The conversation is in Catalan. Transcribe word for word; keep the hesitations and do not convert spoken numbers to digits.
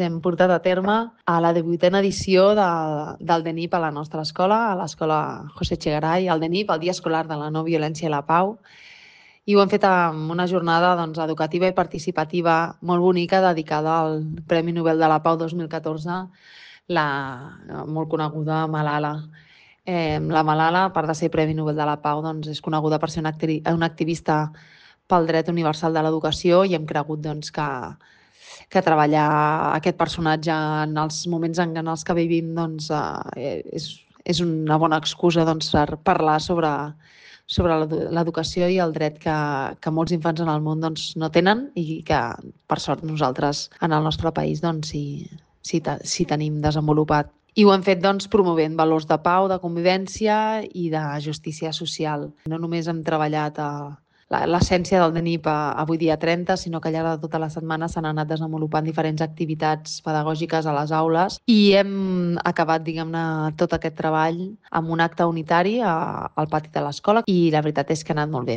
Hem portat a terme a la divuitena edició de, del D E N I P a la nostra escola, a l'escola José Echegaray, el D E N I P, el Dia Escolar de la No Violència i la Pau, i ho hem fet amb una jornada doncs, educativa i participativa molt bonica dedicada al Premi Nobel de la Pau dos mil catorze, la molt coneguda Malala. Eh, la Malala, a part de ser Premi Nobel de la Pau, doncs, és coneguda per ser una, acti una activista pel dret universal de l'educació i hem cregut doncs, que que treballar aquest personatge en els moments en els que vivim doncs, eh, és, és una bona excusa doncs, per parlar sobre, sobre l'educació i el dret que, que molts infants en el món doncs, no tenen i que, per sort, nosaltres en el nostre país doncs, sí, sí, sí tenim desenvolupat. I ho hem fet doncs, promovent valors de pau, de convivència i de justícia social. No només hem treballat a l'essència del D E N I P avui dia trenta, sinó que al llarg de tota la setmana s'han anat desenvolupant diferents activitats pedagògiques a les aules i hem acabat, diguem-ne, tot aquest treball amb un acte unitari al pati de l'escola i la veritat és que ha anat molt bé.